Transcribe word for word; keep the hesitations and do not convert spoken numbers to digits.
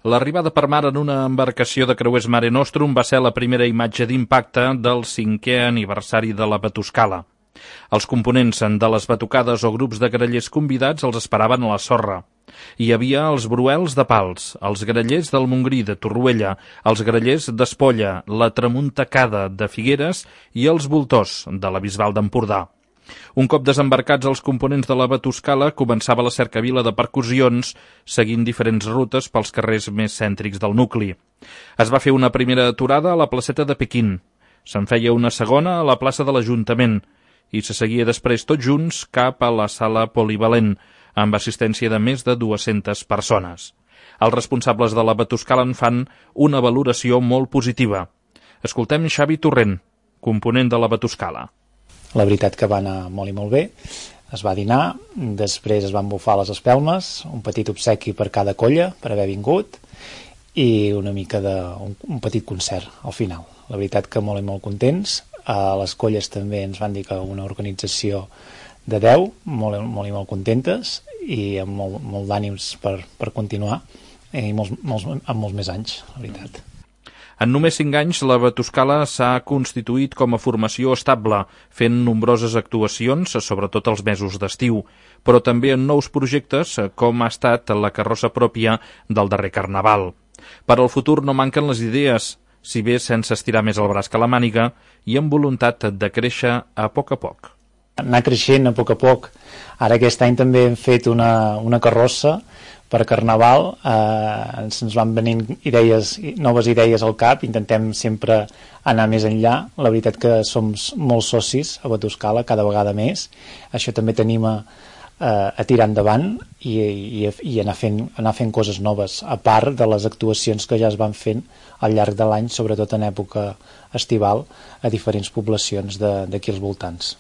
L'arribada per mar en una embarcació de creuers Mare Nostrum va ser la primera imatge d'impacte del cinquè aniversari de la Batuscala. Els components de les batucades o grups de grallers convidats els esperaven a la sorra. Hi havia els bruels de Pals, els grallers del Montgrí de Torroella, els grallers d'Espolla, la Tramuntacada de Figueres i els voltors de la Bisbal d'Empordà. Un cop desembarcats els components de la Batuscala, començava la cercavila de percussions, seguint diferents rutes pels carrers més cèntrics del nucli. Es va fer una primera aturada a la placeta de Pequín, se'n feia una segona a la plaça de l'Ajuntament i se seguia després tots junts cap a la sala polivalent, amb assistència de més de dues-centes persones. Els responsables de la Batuscala en fan una valoració molt positiva. Escoltem Xavi Torrent, component de la Batuscala. La veritat que va anar molt i molt bé. Es va dinar, després es van bufar les espelmes, un petit obsequi per cada colla per haver vingut i una mica de un, un petit concert al final. La veritat que molt i molt contents. A les colles també ens van dir que una organització de deu, molt, molt i molt contentes i amb molt, molt d'ànims per, per continuar i molts, molts, amb molts més anys, la veritat. En només cinc anys, la Batuscala s'ha constituït com a formació estable, fent nombroses actuacions, sobretot els mesos d'estiu, però també en nous projectes, com ha estat la carrossa pròpia del darrer Carnaval. Per al futur no manquen les idees, si bé sense estirar més el braç que la màniga, i amb voluntat de créixer a poc a poc. Anar creixent a poc a poc. Ara aquest any també hem fet una, una carrossa per Carnaval, eh, ens van venint idees, noves idees al cap, intentem sempre anar més enllà. La veritat que som molts socis a Batuscala, cada vegada més. Això també t'anima eh, a tirar endavant i, i, i anar, fent, anar fent coses noves, a part de les actuacions que ja es van fent al llarg de l'any, sobretot en època estival, a diferents poblacions d'aquí als voltants.